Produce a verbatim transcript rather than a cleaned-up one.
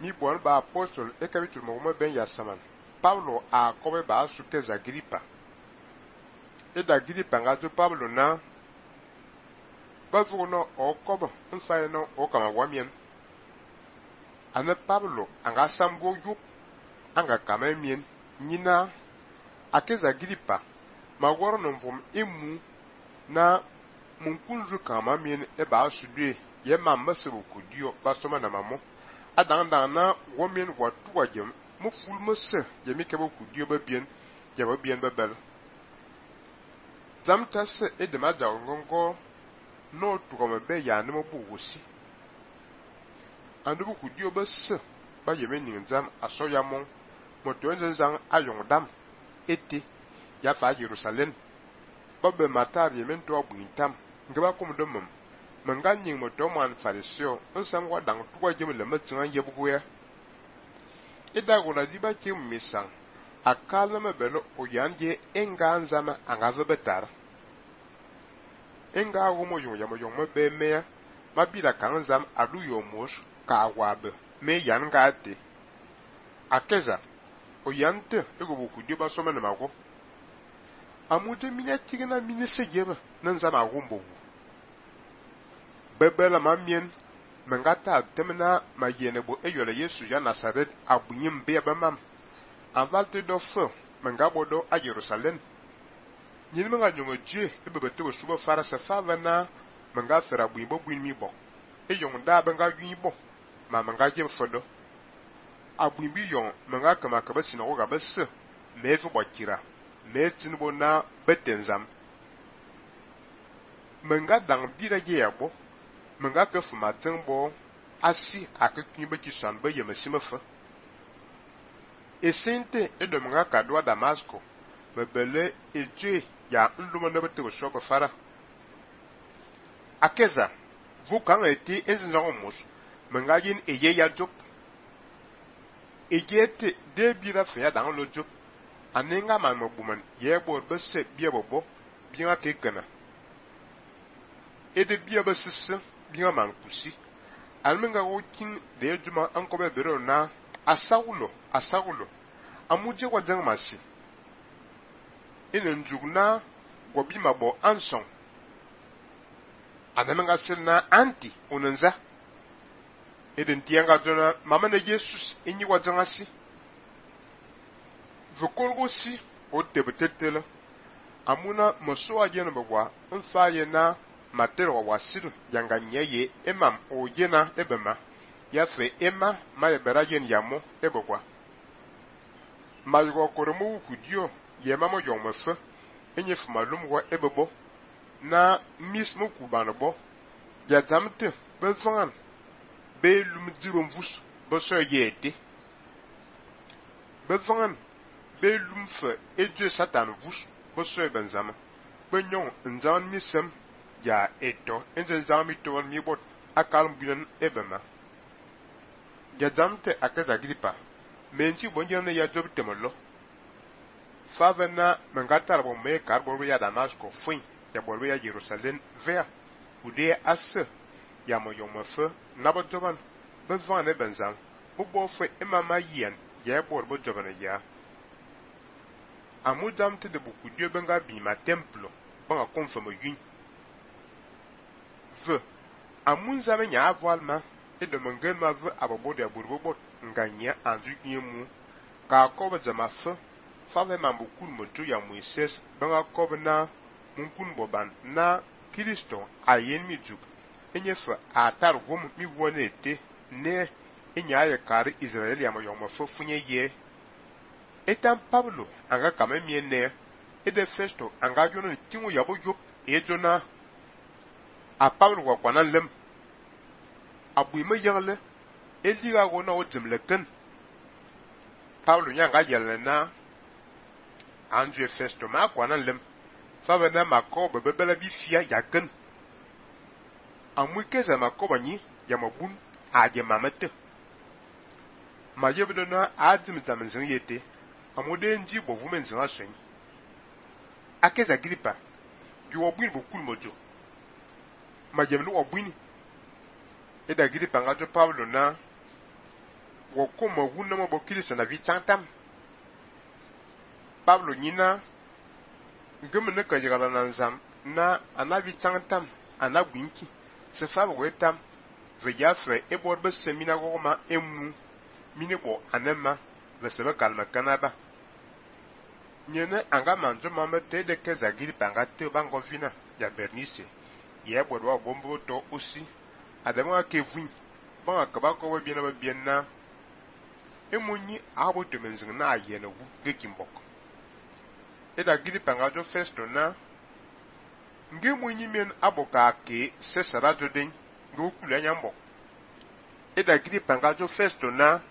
mi bon ba apostol e capítulo mo ben ya saman Paulo a kobe ba su ke Agripa e da Agripa nga jo Paulo na ba fu no o kobo nfa no o kama wamien ana Paulo anga samgo yu anga kama mien nyina akeza Agripa ma woro no mvom emu na mun kunzu kama mien e ba su de ye mamma se ku dio ba soma na mamo adan dan na womien watu wajem mo ful mo se ye mi ke bo ku dio ba bien ye ba bien ba bel zam tas e de ma ja ngongo no tu ko be ya ne mo bu wosi andu bu ku dio ba se ba ye me nin zam aso ya mon mo to nzen zan ayon dam ete ya fa Jerusalem ba be matar ye men to abu intam ngaba kum do mum manga nyin mo to man farisio nsam wa dang tuwa jem le matsan ye bugu ya ida gona di ba ke misan akala me belo o yanje enga nzama anga zo betar enga wo mo yo ya mo yo mo be me ma bi da kan nzam adu yo mos ka wabe me yan ga te akeza o yante ego boku di ba so me na mago amude minya tigina minye sejeba nan zama gumbo bebela mamien mengata temna ma yene bo eyole Yesu ya Nazaret abunyim be bamam avalte do fo mengabo do a Jerusalem nyini menga nyongo je ebebete wo suba fara sa favana menga fera buimbo buimi bo eyong da benga yuibo ma menga je fodo abuimbi yon menga kama kaba sinago ga besse mefu bokira metinbo na betenzam menga dang bira je yabo menga ke fuma tengbo asi akekun be ki san be yemesime fa esente edo menga kadwa Damasco mebele eje ya ndumo na bete wo shoko fara akeza vu kan eti ezinzo mus menga yin eye ya job ejete de bira fa ya dang lo job anenga man mobuman yebo be se biebobo biya ke kana ede biya be sisse biya man kusi almenga wokin de juma anko be bero na asawulo asawulo amuje wajan masi ene njugna gobi mabo anson anamenga selna anti onenza ede ntianga jona mama na Jesus enyi wajan asi vukolgo si o tebetetela amuna moso ajena bagwa nfa ye na matero wa wasir yanga nyeye emam o yena ebema ya fe ema ma yebera yen yamo ebogwa malgo koromu kudio ye mamo yomasa enye fumalum wa ebebo na mismo kubanbo ya zamte bezan be lumdirom vus boso yete bezan belum fe eje satan vus boso benzama benyon nzan misem ya eto enze zami to mi bot akal mbinan ebema ya zamte akaza Agripa menti bonjana ya job temolo favena mengatar bo me karbo ya Damasco fui ya bolwe ya Jerusalem ver ude as ya moyomofe nabotoban bevan e benzam bo fe emama yen ya borbo jobana ya amudam te de beaucoup Dieu benga bi ma templo banga konfirme yin ve amunza me nya avalma e de mengen ma ve abobo de aburbo nganya anzu yimu ka ko jama fe fa ve mambu kun moto ya Moises banga ko na munkun boban na Kristo ayen mi juk enye fe atar gom mi wonete ne enya ya kar Israel ya mo yomo fo funye ye etan Pablo anga kame mienne e de Festo anga jono tingu yabo yop e jona a Pablo wa kwanan lem abu me yangle e liga go na o jimle ken Pablo nyanga yelle na Andrew Festo ma kwanan lem fa bena makoba bebela bi fia ya ken amu keza makoba nyi ya mabun a je mamete ma yebdo na adim zamenzin yete amode nji bo vumen zin asen akeza Agripa ju obin bo kul mojo ma jemlu obin e da Agripa ngato Pablo na wo kuma wunna mo bokili sana vi chantam Pablo nyina ngumne ka jigala nan zam na anavi chantam anagwinki se fa bo etam ze yafre e bor be semina goma emu mini bo anema ze sebe kalma kanaba nyene anga manjo mama te de ke zagiri panga te bango vina ya Bernice ye bor wa gombo to aussi adama ke vun ba ka ba ko bi na ba bien na emunyi abo to menzing na ayena wu ge kimbok e da giri panga jo festo na nge munyi men aboka ke se sara jo den go kula nyambo e da giri panga jo festo na